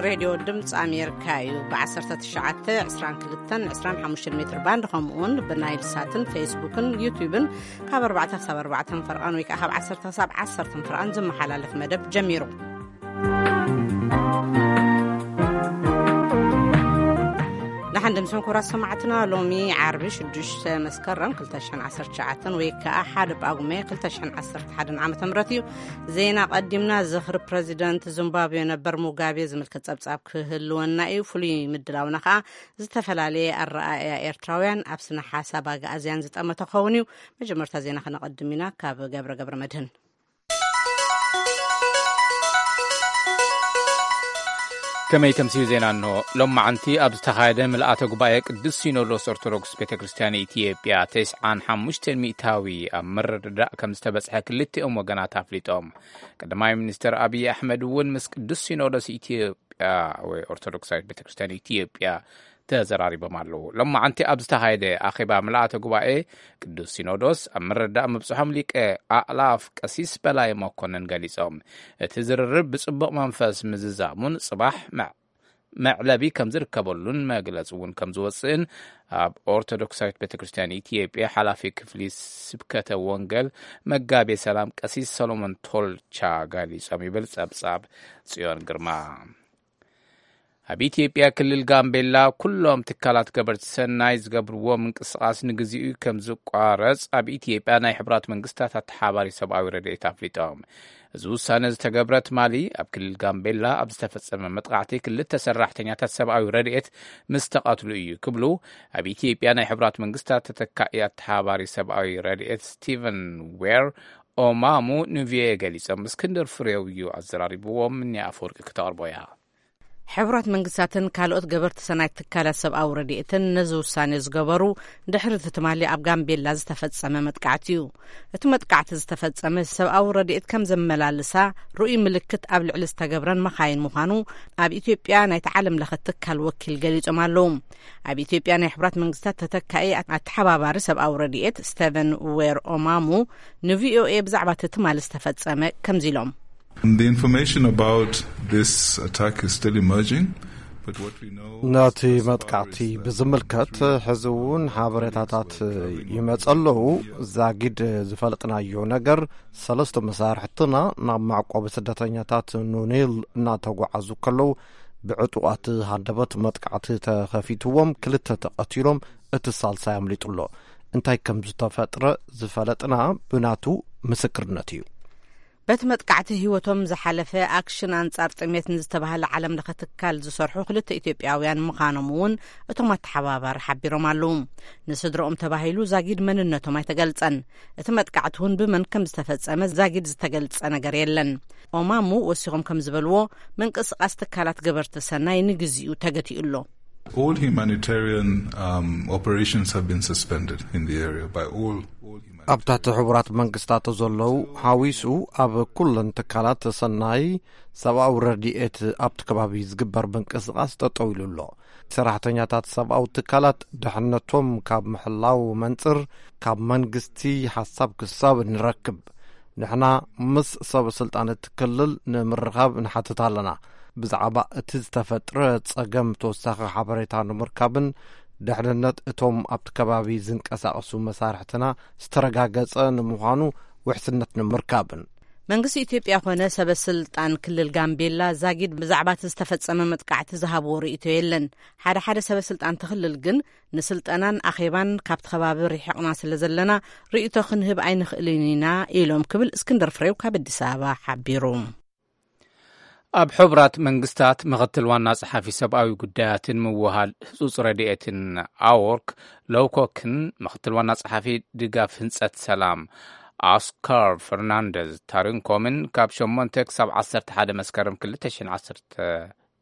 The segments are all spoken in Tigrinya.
ሬድዮ ድምፂ ኣሜሪካ እዩ። ብ19፣ 22፣ 25 ሜትር ባንድ፣ ከምኡውን ብናይል ሳትን ፌስቡክን ዩቲዩብን ካብ ኣርባዕተ ክሳብ ኣርባዕተ ፈርቓን ወይ ከዓ ካብ ዓሰርተ ክሳብ ዓሰርተ ፈርቓን ዝመሓላለፍ መደብ ጀሚሩ። ንሓንድም ሰንኮራ ሰማዕትና፣ ሎሚ ዓርቢ ሽዱሽተ መስከረም ክልተ ሽሕን ዓሰርተ ትሽዓተን ወይ ከዓ ሓደ ጳጉሜ ክልተ ሽሕን ዓሰርተ ሓደን ዓመተ ምህረት እዩ። ዜና ቀዲምና። ዝኽሪ ፕረዚደንት ዚምባብዌ ነበር ሙጋቤ ዝምልከት ጸብጻብ ክህልወና እዩ። ፍሉይ ምድላውና ከዓ ዝተፈላለየ ኣረኣእያ ኤርትራውያን ኣብ ስነ ሓሳብ ኣግኣዝያን ዝጠመተ ክኸውን እዩ። መጀመርታ ዜና ከነቐድም ኢና ካብ ገብረ ገብረ መድህን። ከመይ ተምስዩ ዜና እንሆ። ሎማዓንቲ ኣብ ዝተኻየደ ምልኣተ ጉባኤ ቅዱስ ሲኖዶስ ኦርቶዶክስ ቤተ ክርስቲያን ኢትዮጵያ ተስዓን ሓሙሽተን ሚእታዊ ኣብ ምርድዳእ ከም ዝተበጽሐ ክልቲኦም ወገናት ኣፍሊጦም። ቀዳማይ ሚኒስትር ኣብይ ኣሕመድ እውን ምስ ቅዱስ ሲኖዶስ ኢትዮጵያ ወይ ኦርቶዶክሳዊት ቤተ ክርስቲያን ኢትዮጵያ ተዘራሪቦም ኣለዉ። ሎማዓንቲ ኣብ ዝተኻየደ ኣኼባ ምልኣተ ጉባኤ ቅዱስ ሲኖዶስ ኣብ ምርዳእ ምብጽሖም ሊቀ ኣእላፍ ቀሲስ በላይ መኮንን ገሊጾም። እቲ ዝርርብ ብጽቡቕ መንፈስ ምዝዛሙን ጽባሕ መዕ-፣ መዕለቢ ከም ዝርከበሉን መግለጺ እውን ከም ዝወጽእን ኣብ ኦርቶዶክሳዊት ቤተ ክርስቲያን ኢትዮጵያ ሓላፊ ክፍሊ ስብከተ ወንጌል መጋቤ ሰላም ቀሲስ ሰሎሞን ቶልቻ ገሊጾም ይብል ጸብጻብ ጽዮን ግርማ። ኣብ ኢትዮጵያ ክልል ጋምቤላ ኩሎም ትካላት ገበርቲ ሰናይ ዝገብርዎ ምንቅስቓስ ንግዚኡ ከም ዝቋረጽ ኣብ ኢትዮጵያ ናይ ሕቡራት መንግስታት ኣተሓባሪ ሰብኣዊ ረድኤት ኣፍሊጦም። እዚ ውሳነ ዝተገብረ ትማሊ ኣብ ክልል ጋምቤላ ኣብ ዝተፈጸመ መጥቃዕቲ ክልተ ሰራሕተኛታት ሰብኣዊ ረድኤት ምስ ተቐትሉ እዩ ክብሉ ኣብ ኢትዮጵያ ናይ ሕቡራት መንግስታት ተተካኢ ኣተሓባሪ ሰብኣዊ ረድኤት ስቲቨን ዌር ኦማሙ ንቪኦኤ ገሊጾም። እስክንድር ፍሬው እዩ ኣዘራሪብዎም። እኒ ኣፈወርቂ ክተቕርቦ እያ። ሕቡራት መንግስታትን ካልኦት ገበርቲ ሰናይ ትካላት ሰብኣዊ ረድኤትን ነዚ ውሳኔ ዝገበሩ ድሕሪ እቲ ትማሊ ኣብ ጋምቤላ ዝተፈጸመ መጥቃዕቲ እዩ። እቲ መጥቃዕቲ ዝተፈጸመ ሰብኣዊ ረድኤት ከም ዘመላልሳ ርኡይ ምልክት ኣብ ልዕሊ ዝተገብረን መኻይን ምዃኑ ኣብ ኢትዮጵያ ናይቲ ዓለም ለኸ ትካል ወኪል ገሊጾም ኣለዉ። ኣብ ኢትዮጵያ ናይ ሕቡራት መንግስታት ተተካኢ ኣተሓባባሪ ሰብኣዊ ረድኤት ስቴቨን ዌር ኦማሙ ንቪኦኤ ብዛዕባ እቲ ትማሊ ዝተፈጸመ ከምዚ ኢሎም። The information about this attack is still emerging, but what we know ነቲ መጥቃዕቲ ብዝምልከት ሕዚ እውን ሓበሬታታት ይመጸ ኣለዉ። ዛጊድ ዝፈልጥናዮ ነገር፣ ሰለስተ መሳርሕትና ናብ መዕቆቢ ስደተኛታት ኑኒል እናተጓዓዙ ከለዉ ብዕጡቓት ሃንደበት መጥቃዕቲ ተኸፊትዎም፣ ክልተ ተቐቲሎም፣ እቲ ሳልሳይ ኣምሊጡ ኣሎ። እንታይ ከም ዝተፈጥረ ዝፈለጥና ብናቱ ምስክርነት እዩ። በቲ መጥቃዕቲ ህይወቶም ዝሓለፈ ኣክሽን ኣንጻር ጥሜት ንዝተባህለ ዓለም ለኸ ትካል ዝሰርሑ ክልተ ኢትዮጵያውያን ምዃኖም እውን እቶም ኣተሓባባሪ ሓቢሮም ኣለዉ። ንስድረኦም ተባሂሉ ዛጊድ መንነቶም ኣይተገልጸን። እቲ መጥቃዕቲ እውን ብመን ከም ዝተፈጸመ ዛጊድ ዝተገልጸ ነገር የለን። ኦማሙ ወሲኾም ከም ዝበልዎ፣ ምንቅስቓስ ትካላት ገበርቲ ሰናይ ንግዚኡ ተገቲኡ ኣሎ። All humanitarian, um, operations have been suspended in the area by all, all humanitarian ኣብ ትሕቲ ሕቡራት መንግስታት ዘለዉ ሓዊሱ ኣብ ኩለን ትካላት ሰናይ ሰብኣዊ ረድኤት ኣብቲ ከባቢ ዝግበር ምንቅስቓስ ጠጠው ኢሉ ኣሎ። ሰራሕተኛታት ሰብኣዊ ትካላት ድሕነቶም ካብ ምሕላው መንጽር ካብ መንግስቲ ሓሳብ ክሳብ ንረክብ፣ ንሕና ምስ ሰበ ስልጣን እቲ ክልል ንምርኻብ ንሓትት ኣለና። ብዛዕባ እቲ ዝተፈጥረ ጸገም ተወሳኺ ሓበሬታ ንምርካብን ድሕንነት እቶም ኣብቲ ከባቢ ዝንቀሳቐሱ መሳርሕትና ዝተረጋገጸ ንምዃኑ ውሕስነት ንምርካብን። መንግስቲ ኢትዮጵያ ኮነ ሰበ ስልጣን ክልል ጋምቤላ ዛጊድ ብዛዕባ እቲ ዝተፈጸመ መጥቃዕቲ ዝሃብዎ ርእይቶ የለን። ሓደ ሓደ ሰበ ስልጣን እቲ ክልል ግን ንስልጠናን ኣኼባን ካብቲ ከባቢ ርሒቕና ስለ ዘለና ርእይቶ ክንህብ ኣይንኽእልን ኢና ኢሎም ክብል እስክንድር ፍሬው ካብ ኣዲስ ኣበባ ሓቢሩ። ኣብ ሕቡራት መንግስታት ምኽትል ዋና ጸሓፊ ሰብኣዊ ጉዳያትን ምውሃድ ህጹጽ ረድኤትን ኣዎርክ ሎውኮክን ምኽትል ዋና ጸሓፊ ድጋፍ ህንጸት ሰላም ኦስካር ፈርናንደዝ ታሪንኮምን ካብ ሸሞንተ ክሳብ ዓሰርተ ሓደ መስከረም ክልተ ሽሕን ዓሰርተ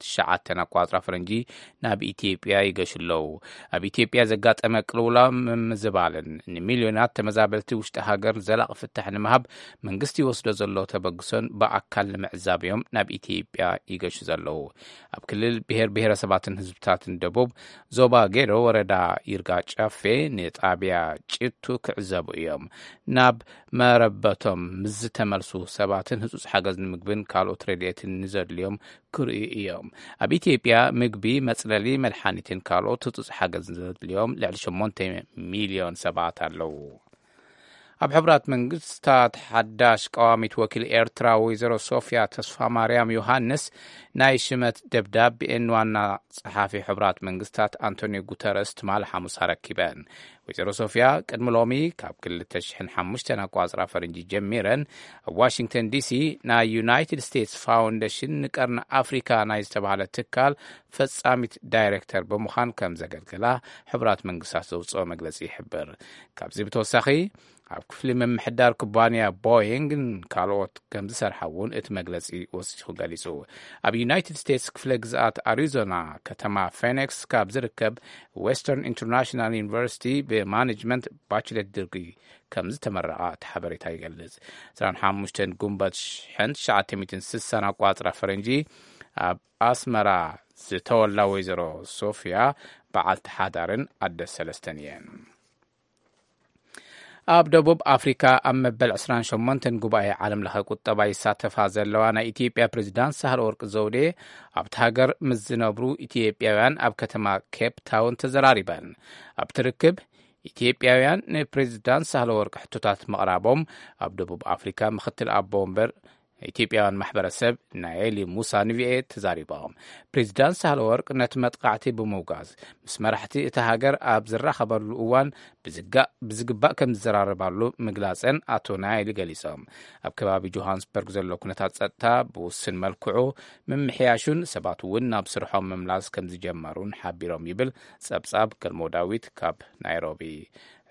ትሽዓተን ኣቋጽራ ፈረንጂ ናብ ኢትዮጵያ ይገሹ ኣለዉ። ኣብ ኢትዮጵያ ዘጋጠመ ቅልውላው ምምዝባልን ንሚልዮናት ተመዛበልቲ ውሽጢ ሃገር ዘላቒ ፍታሕ ንምሃብ መንግስቲ ይወስዶ ዘሎ ተበግሶን ብኣካል ንምዕዛብ እዮም ናብ ኢትዮጵያ ይገሹ ዘለዉ። ኣብ ክልል ብሔር ብሔረሰባትን ህዝብታትን ደቡብ ዞባ ጌዶ ወረዳ ይርጋ ጨፌ ንጣብያ ጭቱ ክዕዘቡ እዮም። ናብ መረበቶም ምስ ዝተመልሱ ሰባትን ህጹጽ ሓገዝ ንምግብን ካልኦት ረድኤትን ንዘድልዮም ክርእዩ እዮም። ኣብ ኢትዮጵያ ምግቢ፣ መጽለሊ፣ መድሓኒትን ካልኦት ህጹጽ ሓገዝ ዘድልዮም ልዕሊ ሸሞንተ ሚልዮን ሰባት ኣለዉ። ኣብ ሕቡራት መንግስታት ሓዳሽ ቀዋሚት ወኪል ኤርትራ ወይዘሮ ሶፍያ ተስፋ ማርያም ዮሃንስ ናይ ሽመት ደብዳቤኤን ዋና ጸሓፊ ሕቡራት መንግስታት ኣንቶኒዮ ጉተረስ ትማል ሓሙስ ኣረኪበን። ወይዘሮ ሶፍያ ቅድሚ ሎሚ ካብ ክልተ ሽሕን ሓሙሽተን ኣቋጽራ ፈረንጂ ጀሚረን ኣብ ዋሽንግተን ዲሲ ናይ ዩናይትድ ስቴትስ ፋውንዴሽን ንቀርኒ ኣፍሪካ ናይ ዝተባህለ ትካል ፈጻሚት ዳይሬክተር ብምዃን ከም ዘገልገላ ሕቡራት መንግስታት ዘውፅኦ መግለፂ ይሕብር። ካብዚ ብተወሳኺ ኣብ ክፍሊ ምምሕዳር ኩባንያ ቦይንግን ካልኦት ከም ዝሰርሓ እውን እቲ መግለፂ ወሲኹ ገሊጹ። ኣብ ዩናይትድ ስቴትስ ክፍለ ግዝኣት ኣሪዞና ከተማ ፌኒክስ ካብ ዝርከብ ዌስተርን ኢንተርናሽናል ዩኒቨርሲቲ ብማኔጅመንት ባችለር ዲግሪ ከም ዝተመረቓ እቲ ሓበሬታ ይገልጽ። ዕስራን ሓሙሽተን ጉንበት ሽሕን ትሽዓተ ሚእትን ስሳን ኣቋጽራ ፈረንጂ ኣብ ኣስመራ ዝተወላ ወይዘሮ ሶፍያ በዓልቲ ሓዳርን ኣደ ሰለስተን እየን። ኣብ ደቡብ ኣፍሪካ ኣብ መበል ዕስራን ሸሞንተን ጉባኤ ዓለም ለኸ ቁጠባ ይሳተፋ ዘለዋ ናይ ኢትዮጵያ ፕሬዚዳንት ሳህለ ወርቅ ዘውዴ ኣብቲ ሃገር ምስ ዝነብሩ ኢትዮጵያውያን ኣብ ከተማ ኬፕ ታውን ተዘራሪበን። ኣብቲ ርክብ ኢትዮጵያውያን ንፕሬዚዳንት ሳህለ ወርቅ ሕቶታት ምቕራቦም ኣብ ደቡብ ኣፍሪካ ምክትል ኣቦ ወንበር ኢትዮጵያውያን ማሕበረሰብ ናኤሊ ሙሳ ንቪኤ ተዛሪቦም። ፕሬዚዳንት ሳህለ ወርቅ ነቲ መጥቃዕቲ ብምውጋዝ ምስ መራሕቲ እቲ ሃገር ኣብ ዝራኸበሉ እዋን ብዝጋ- ብዝግባእ ከም ዝዘራረባሉ ምግላፀን ኣቶ ናይሊ ገሊፆም። ኣብ ከባቢ ጆሃንስበርግ ዘሎ ኩነታት ፀጥታ ብውስን መልክዑ ምምሕያሹን ሰባት እውን ናብ ስርሖም ምምላስ ከም ዝጀመሩን ሓቢሮም ይብል ፀብፃብ ገልሞ ዳዊት ካብ ናይሮቢ።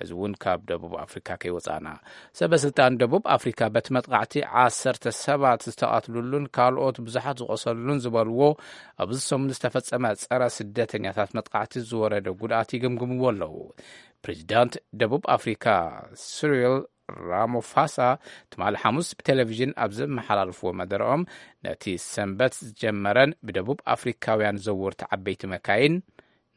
እዚ እውን ካብ ደቡብ ኣፍሪካ ከይወፃና። ሰበ ስልጣን ደቡብ ኣፍሪካ በቲ መጥቃዕቲ ዓሰርተ ሰባት ዝተቐትሉሉን ካልኦት ብዙሓት ዝቆሰሉሉን ዝበልዎ ኣብዚ ሰሙን ዝተፈፀመ ፀረ ስደተኛታት መጥቃዕቲ ዝወረደ ጉድኣት ይግምግምዎ ኣለዉ። ፕሬዚዳንት ደቡብ ኣፍሪካ ስሪል ራሞፋሳ ትማሊ ሓሙስ ብቴሌቪዥን ኣብ ዘመሓላልፍዎ መደረኦም ነቲ ሰንበት ዝጀመረን ብደቡብ ኣፍሪካውያን ዘወርቲ ዓበይቲ መካይን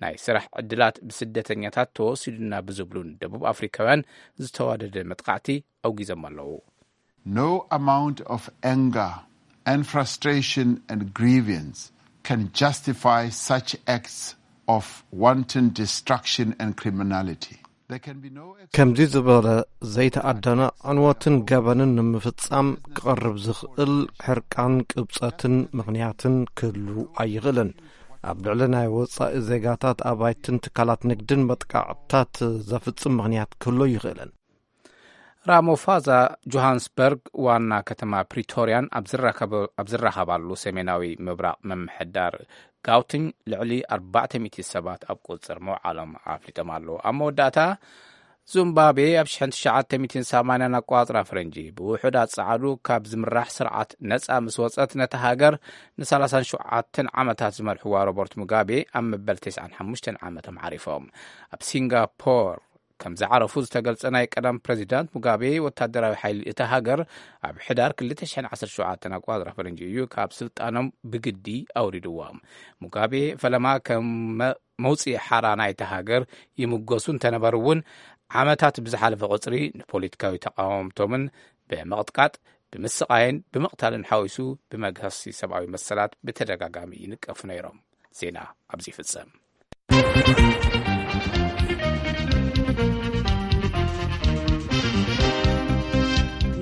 ናይ ስራሕ ዕድላት ብስደተኛታት ተወሲዱና ብዝብሉን ደቡብ ኣፍሪካውያን ዝተዋደደ መጥቃዕቲ ኣውጊዞም ኣለዉ። No amount of anger and frustration and grievance can justify such acts of wanton destruction and criminality. There can be no ex- ከምዚ ዝበለ ዘይተኣደነ ዕንወትን ገበንን ንምፍጻም ክቐርብ ዝኽእል ሕርቃን፣ ቅብጸትን ምኽንያትን ክህሉ ኣይኽእልን። ኣብ ልዕሊ ናይ ወጻኢ ዜጋታት፣ ኣባይትን ትካላት ንግድን መጥቃዕትታት ዘፍጽም ምኽንያት ክህሉ ኣይኽእልን። ራሞፋዛ ጆሃንስበርግ ዋና ከተማ ፕሪቶርያን ኣብ ዝራከበ- ኣብ ዝራኸባሉ ሰሜናዊ ምብራቕ ምምሕዳር ጋውቲንግ ልዕሊ ኣርባዕተ ሚእቲ ሰባት ኣብ ቁጽር ምውዓሎም ኣፍሊጦም ኣለዉ። ኣብ መወዳእታ ዙምባቤ ኣብ ሽሕን ትሽዓተ ሚእትን ሰማንያን ኣቋጽራ ፈረንጂ ብውሑድ ኣጻዕዱ ካብ ዝምራሕ ስርዓት ነጻ ምስ ወጸት ነታ ሃገር ንሰላሳን ሸውዓተን ዓመታት ዝመርሕዋ ሮበርት ሙጋቤ ኣብ መበል ተስዓን ሓሙሽተን ዓመቶም ዓሪፎም። ኣብ ሲንጋፖር ከም ዝዓረፉ ዝተገልጸ ናይ ቀደም ፕሬዚዳንት ሙጋቤ፣ ወታደራዊ ሓይሊ እታ ሃገር ኣብ ሕዳር ክልተ ሽሕን ዓሰርተ ሸውዓተን ኣቋጽራ ፈረንጂ እዩ ካብ ስልጣኖም ብግዲ ኣውሪድዎም። ሙጋቤ ፈለማ ከም መ- መውፅኢ ሓራ ናይታ ሃገር ይምጎሱ እንተነበሩ እውን ዓመታት ብዝሓለፈ ቁፅሪ ንፖለቲካዊ ተቃወምቶምን ብምቕጥቃጥ፣ ብምስቓይን ብምቕታልን ሓዊሱ ብመግሃሲ ሰብኣዊ መሰላት ብተደጋጋሚ ይንቀፉ ነይሮም። ዜና ኣብዚ ይፍጸም።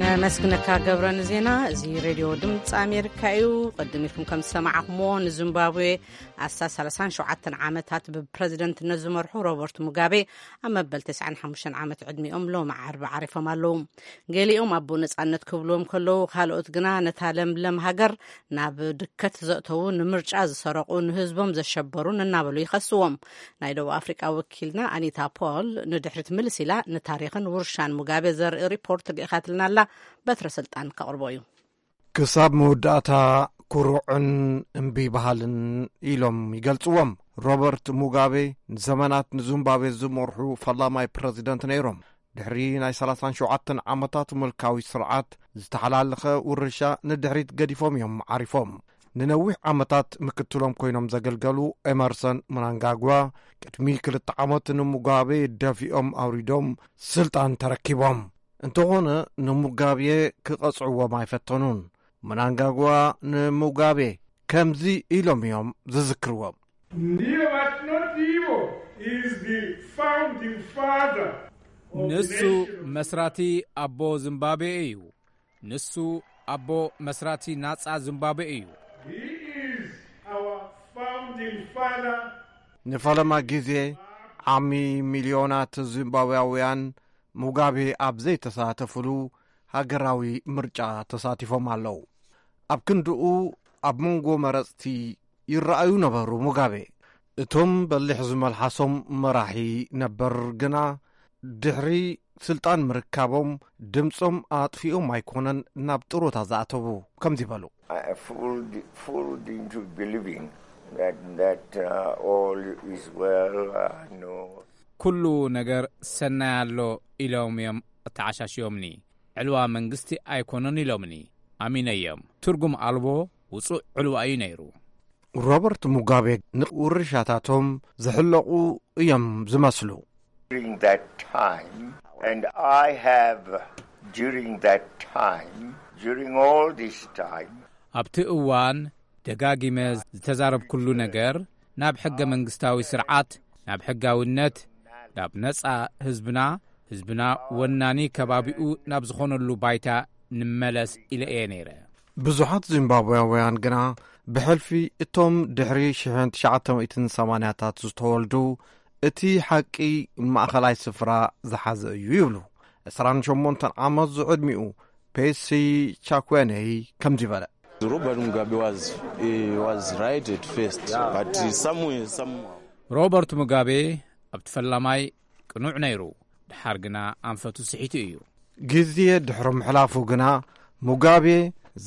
ነመስግነካ ገብረ ንዜና። እዚ ሬድዮ ድምፂ ኣሜሪካ እዩ። ቅድም ኢልኩም ከም ዝሰማዕኹምዎ ንዚምባብዌ ኣስታት ሰላሳን ሸውዓተን ዓመታት ብፕረዚደንትነት ዝመርሑ ሮበርት ሙጋቤ ኣብ መበል ተስዓን ሓሙሽተን ዓመት ዕድሚኦም ሎሚ ዓርቢ ዓሪፎም ኣለዉ። ገሊኦም ኣቦ ነጻነት ክብልዎም ከለዉ፣ ካልኦት ግና ነታ ለምለም ሃገር ናብ ድከት ዘእተዉ፣ ንምርጫ ዝሰረቑ፣ ንህዝቦም ዘሸበሩን እናበሉ ይኸስዎም። ናይ ደቡብ ኣፍሪቃ ወኪልና ኣኒታ ፖል ንድሕሪት ምልስ ኢላ ንታሪኽን ውርሻን ሙጋቤ ዘርኢ ሪፖርት ልኢኻትልና ኣላ። በትረ ስልጣን ከቕርቦ እዩ። ክሳብ መወዳእታ ኩሩዕን እምቢ በሃልን ኢሎም ይገልጽዎም። ሮበርት ሙጋቤ ንዘመናት ንዙምባብዌ ዝመርሑ ፈላማይ ፕረዚደንት ነይሮም። ድሕሪ ናይ ሰላሳን ሸውዓተን ዓመታት ምልካዊ ስርዓት፣ ዝተሓላለኸ ውርሻ ንድሕሪት ገዲፎም እዮም ዓሪፎም። ንነዊሕ ዓመታት ምክትሎም ኮይኖም ዘገልገሉ ኤመርሰን ምናንጋግዋ፣ ቅድሚ ክልተ ዓመት ንሙጋቤ ደፊኦም ኣውሪዶም ስልጣን ተረኪቦም። እንተኾነ፣ ንሙጋቤ ክቐጽዕዎም ኣይፈተኑን። ምናንጋግዋ ንሙጋቤ ከምዚ ኢሎም እዮም ዝዝክርዎም። Nivo Vatnoti Ivo is the founding father of the ንሱ nation. መስራቲ ኣቦ ዚምባብዌ እዩ። ንሱ ኣቦ መስራቲ ናጻ ዚምባብዌ እዩ። He is our founding father. ንፈለማ ግዜ ዓሚ ሚልዮናት ዚምባብያውያን ሙጋቤ ኣብ ዘይተሳተፍሉ ሃገራዊ ምርጫ ተሳቲፎም ኣለዉ። ኣብ ክንድኡ ኣብ መንጎ መረጽቲ ይረኣዩ ነበሩ ሙጋቤ። እቶም በሊሕ ዝመልሓሶም መራሒ ነበር ግና ድሕሪ ስልጣን ምርካቦም ድምጾም ኣጥፊኦም ኣይኮነን ናብ ጥሮታ ዝኣተዉ ከምዚ በሉ። I fooled, fooled into believing that, that uh, all is well. Uh, no. ኩሉ ነገር ሰናይ ኣሎ ኢሎም እዮም ኣተዓሻሽዮምኒ። ዕልዋ መንግስቲ ኣይኮነን ኢሎምኒ። ኣሚነዮም። ትርጉም ኣልቦ ውጹእ ዕልዋ እዩ ነይሩ። ሮበርት ሙጋቤ ንውርሻታቶም ዝሕለቑ እዮም ዝመስሉ። During that time, and I have, during that time, during all this time, ኣብቲ እዋን ደጋጊመ ዝተዛረብኩሉ ነገር ናብ ሕገ መንግስታዊ ስርዓት፣ ናብ ሕጋውነት፣ ናብ ነጻ ህዝብና፣ ህዝብና ወናኒ ከባቢኡ ናብ ዝኾነሉ ባይታ ንመለስ ኢለ እየ ነይረ። ብዙሓት ዚምባብያውያን ግና ብሕልፊ እቶም ድሕሪ ሽሕን ትሽዓተ ሚእትን ሰማንያታት ዝተወልዱ እቲ ሓቂ ማእኸላይ ስፍራ ዝሓዘ እዩ ይብሉ። ዕስራን ሸሞንተን ዓመት ዝዕድሚኡ ፔሲ ቻኩዌነይ ከምዚ በለ። Robert Mugabe was, he was right at first, but somewhere, somehow. ሮበርት ሙጋቤ ኣብቲ ፈላማይ ቅኑዕ ነይሩ፣ ድሓር ግና ኣንፈቱ ስሒቱ እዩ። ግዜ ድሕሪ ምሕላፉ ግና ሙጋቤ